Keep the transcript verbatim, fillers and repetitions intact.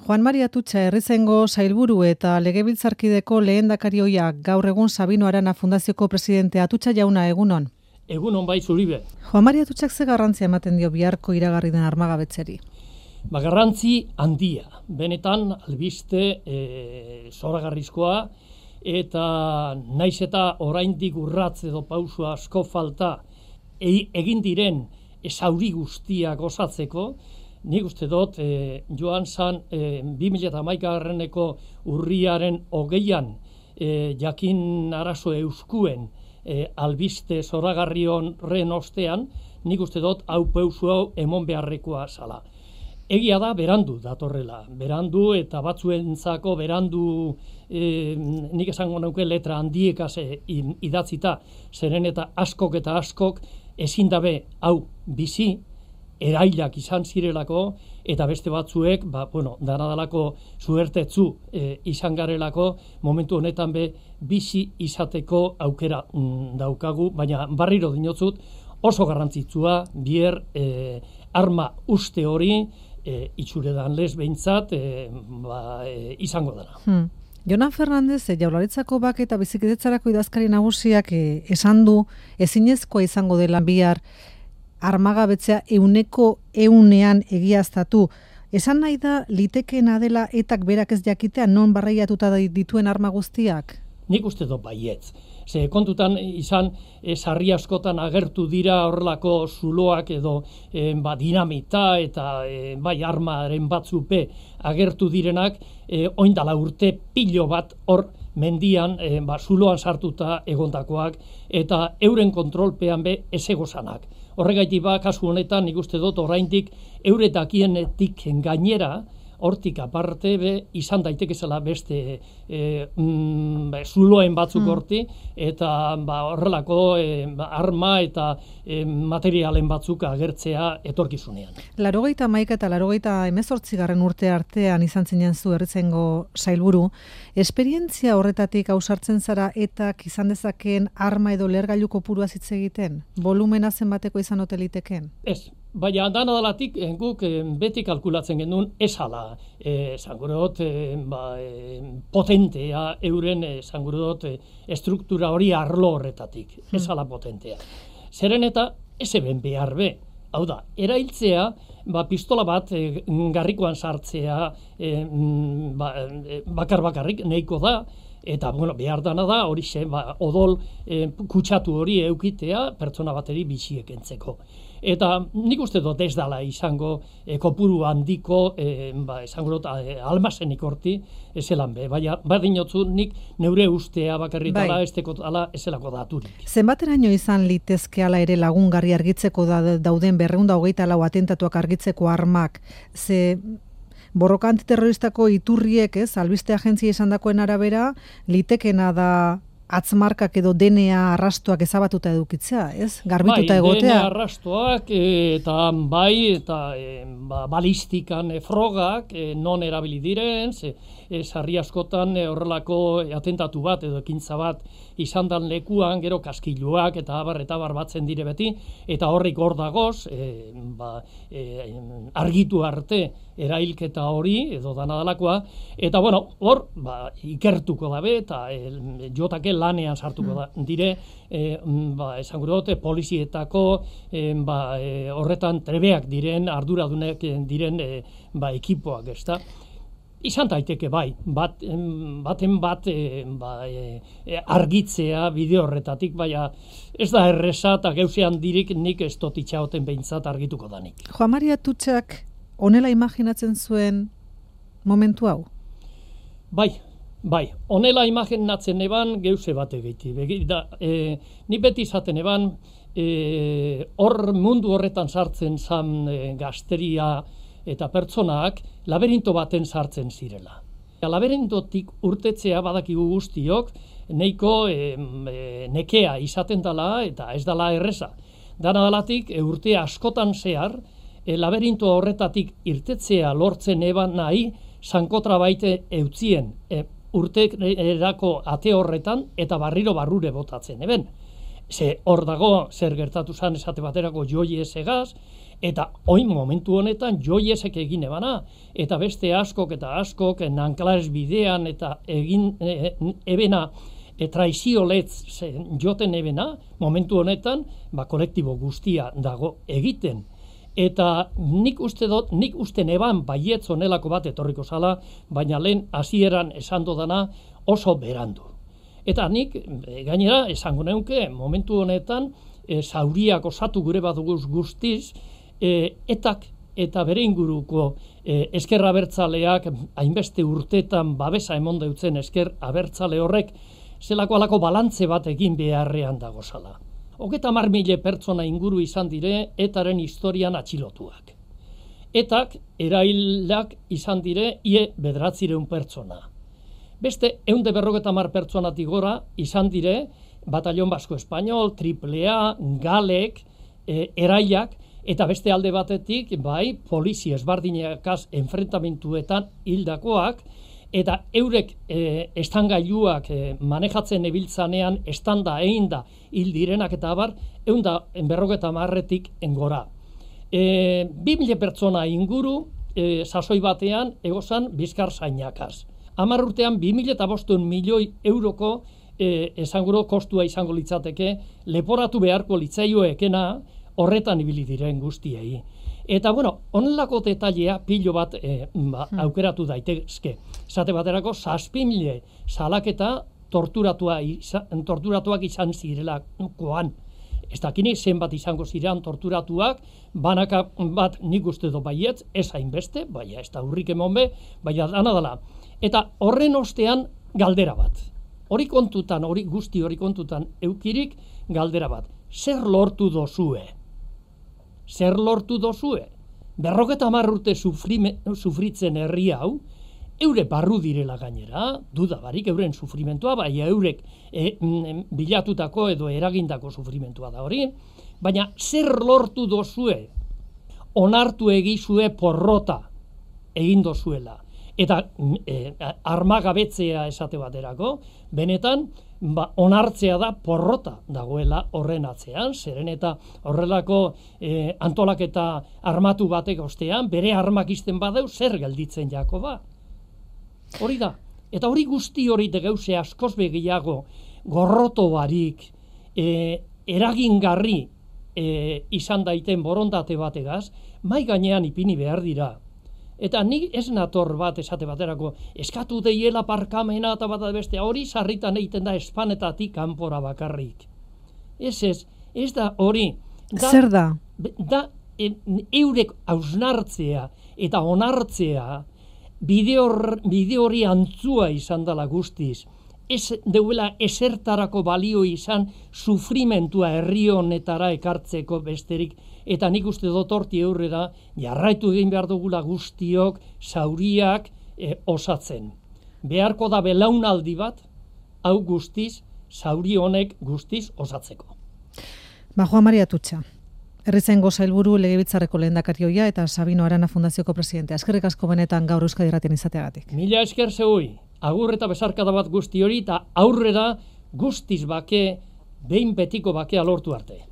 Juan Mari Atutxa Herrizengo sailburu eta legebiltzarkideko lehendakari ohia gaur egun Sabino Arana Fundazioko presidente. Atutxa jauna, egunon. Egunon bai zuribe. Juan Mari Atutxak ze garrantzia ematen dio biharko iragarri den armagabetzeri? Ba, garrantzi handia. Benetan albiste e, zoragarrizkoa eta naiz eta oraindik urratz edo pausu asko falta e, egin diren zauri guztiak osatzeko. Nik uste dut, e, joan zan e, bi mila hamaikagarreneko urriaren hogeian e, jakin arazo euskuen e, albiste zoragarri horren ostean, nik uste dut hau pausu hau emon beharrekoa zala. Egia da, berandu datorrela, berandu eta batzuentzako berandu e, nik esango nauke letra handiekaz idatzita, zeren eta askok eta askok ezin dabe hau bizi, erailak izan zirelako, eta beste batzuek, ba, bueno, danadalako zuertetzu e, izan garelako, momentu honetan be bizi izateko aukera mm, daukagu, baina barriro dinotzut, oso garrantzitsua bier e, arma uste hori, e, itxuredan lez behintzat, e, ba, e, izango dela. Hmm. Jonan Fernandez, Jaurlaritzako Bake eta Bizikidetzarako idazkari nagusiak e, esan du ezinezkoa izango dela bihar armagabetzea euneko eunean egiaztatu. Esan nahi da, litekeena dela etak berak ez jakitea non barreiatuta dituen arma guztiak? Nik uste dut baietz. Ze kontutan izan, e, sarri askotan agertu dira horrelako zuloak edo e, ba, dinamita eta e, bai armaren batzupe agertu direnak, e, oindala urte pilo bat hor mendian, e, ba, zuloan sartuta egontakoak eta euren kontrolpean be ez egozanak. Horregaitik ba, kasu honetan, nik uste dut oraindik euretakienetik gainera, hortik aparte be, izan daitekezela beste e, mm, be, zuloen batzuk mm. horti, eta ba, horrelako e, arma eta e, materialen batzuk agertzea etorkizunean. Larogeita hamaika eta larogeita hemezortzigarren urte artean izan zinen zu Herrizengo sailburu, esperientzia horretatik ausartzen zara etak izan dezakeen arma edo lehergailu kopuruaz hitz egiten? Volumena zenbateko izan ote liteken? Ez. Baina danadalatik guk beti kalkulatzen genuen esala, esangurot e, ba, e, potentea euren esangurot e, estruktura hori arlo horretatik, esala potentea. Zeren eta ez eben behar be, hau da, erailtzea, ba, pistola bat e, garrikoan sartzea e, ba, e, bakar bakarrik nahiko da, eta bueno, behar dana da hori xe, ba, odol e, kutsatu hori eukitea pertsona bateri biziek entzeko. Eta nik uste dut ez dala izango e, kopuru handiko, e, ba, esango dut, e, almazenik horti, ezelan be. Baina, badinotzu nik neure ustea bakarritala, bai. Estekotala, ezelako daturik. Zenbateraino izan litezkeala ere lagungarri argitzeko da, dauden berrehun eta hogeita lau atentatuak argitzeko armak, ze borroka antiterroristako iturriek, ez, albiste agentzia esandakoen arabera, litekena da atzmarkak edo D N A arrastoak ezabatuta edukitzea, ez? Garbituta bai, egotea. D N A arrastoak eta bai, eta e, ba, balistikan e, frogak e, non erabili diren, ze, e, sarri askotan e, horrelako atentatu bat edo ekintza bat izan dan lekuan, gero kaskiluak eta abar eta abar batzen dire beti, eta horrik hor dagoz, e, ba, e, argitu arte erailketa hori, edo danadalakoa, eta bueno, hor, ba, ikertuko dabe, eta e, jotake lanean sartuko da, dire, e, ba, esango dut, polizietako e, ba, e, horretan trebeak diren, arduradunek diren e, ba, ekipoak, ez da. Izan daiteke bai, bat, baten bat e, ba, e, argitzea bideo horretatik, baina ez da erreza eta geuzean dirik nik ez dut itxaoten behintzat argituko danik. Juan Mari Atutxak honela imaginatzen zuen momentu hau? Bai, bai, honela imaginatzen eban geuze bat egeiti. Da, e, ni beti izaten eban, e, hor mundu horretan sartzen zan e, gazteria eta pertsonak laberinto baten sartzen zirela. Laberintotik urtetzea badakigu guztiok, neiko e, e, nekea izaten dela eta ez dela erreza. Dana dalatik e, urte askotan zehar, e, laberinto horretatik irtetzea lortzen eban nahi, zankotra baite eutzien e, urtek erako ate horretan eta barriro barrure botatzen eben. Ze hor dago zer gertatu zan esate baterako joi ezegaz, Eta oin momentu honetan joiesek egin ebana, eta beste askok eta askok Nanklares bidean eta egin e, ebena e, traizioletz joten ebena, momentu honetan ba, kolektibo guztia dago egiten. Eta nik uste dut, nik uste neban baietz honelako bat etorriko zala, baina lehen hasieran esan dodana oso berandu. Eta nik gainera esango neuke momentu honetan e, zauriak osatu gure baduguz guztiz, E, etak eta bere inguruko e, esker abertzaleak hainbeste urtetan babesa emon deutzen esker abertzale horrek zelako alako balantze bat egin beharrean dagozala. Hogeta hamar mila pertsona inguru izan dire etaren historian atxilotuak. Etak erailak izan dire ie bederatzireun pertsona. Beste ehunde berrogeta hamar pertsonatik gora izan dire Batallon Basko Espainol, Triple A, Galek, e, erailak, eta beste alde batetik, bai, polizia ezbardinekaz enfrentamentuetan hildakoak, eta eurek e, estangailuak e, manejatzen ebiltzanean estanda egin da hil direnak eta abar, eunda berrogeta marretik engora. E, bi mila pertsona inguru, e, sasoi batean, egozan bizkar zainakaz. Hamar urtean, bi mila eta bostehun milioi euroko e, esanguro kostua izango litzateke, leporatu beharko litzaioekena, horretan ibili diren guztiei. Eta, bueno, honelako detailea pilo bat e, ba, aukeratu daitezke. Zate baterako, zazpi mila salaketa torturatua izan, torturatuak izan zirelakoan. Ez dakini zenbat izango ziren torturatuak, banaka bat nik uste do baietz, ez hainbeste, baina ez da hurrik emon be, baina dana dela. Eta horren ostean galdera bat. Hori kontutan, hori guzti hori kontutan eukirik galdera bat. Zer lortu dozue? Zer lortu dozue? Berrogeta hamar urte sufrime, sufritzen herri hau, eure barru direla gainera, duda barik euren sufrimentua, bai eurek e, m, bilatutako edo eragindako sufrimentua da hori, baina zer lortu dozue? Onartu egizue porrota egin dozuela. Eta e, armagabetzea esate baterako, benetan, ba, onartzea da porrota dagoela horren atzean, zeren eta horrelako e, antolaketa armatu batek ostean, bere armak izten badeu, zer gelditzen jako ba. Hori da. Eta hori guzti hori degeuze askoz begiago, gorroto barik, e, eragingarri e, izan daiten borondate bategaz, mai gainean ipini behar dira. Eta nik ez nator bat esate baterako, eskatu deiela parkamena eta bat beste, hori sarritan egiten da espanetatik kanpora bakarrik. Ez ez, ez da hori. Da, Zer da? Da e, eurek hausnartzea eta onartzea bide hori antzua izan dela guztiz. Ez deuela esertarako balio izan sufrimentua herri honetara ekartzeko besterik. Eta nik uste dut horti aurrera jarraitu egin behar dugula guztiok zauriak e, osatzen. Beharko da belaunaldi bat, hau guztiz, zauri honek guztiz osatzeko. Ba, Juan Maria Atutxa, Herrizaingo Sailburu Legebiltzarreko lehendakari eta Sabino Arana Fundazioko presidentea. Eskerrik asko benetan gaur Euskadi Irratian izateagatik. Mila esker zeui, agur eta besarkada bat guzti hori eta aurrera guztiz bake, behin betiko bakea lortu arte.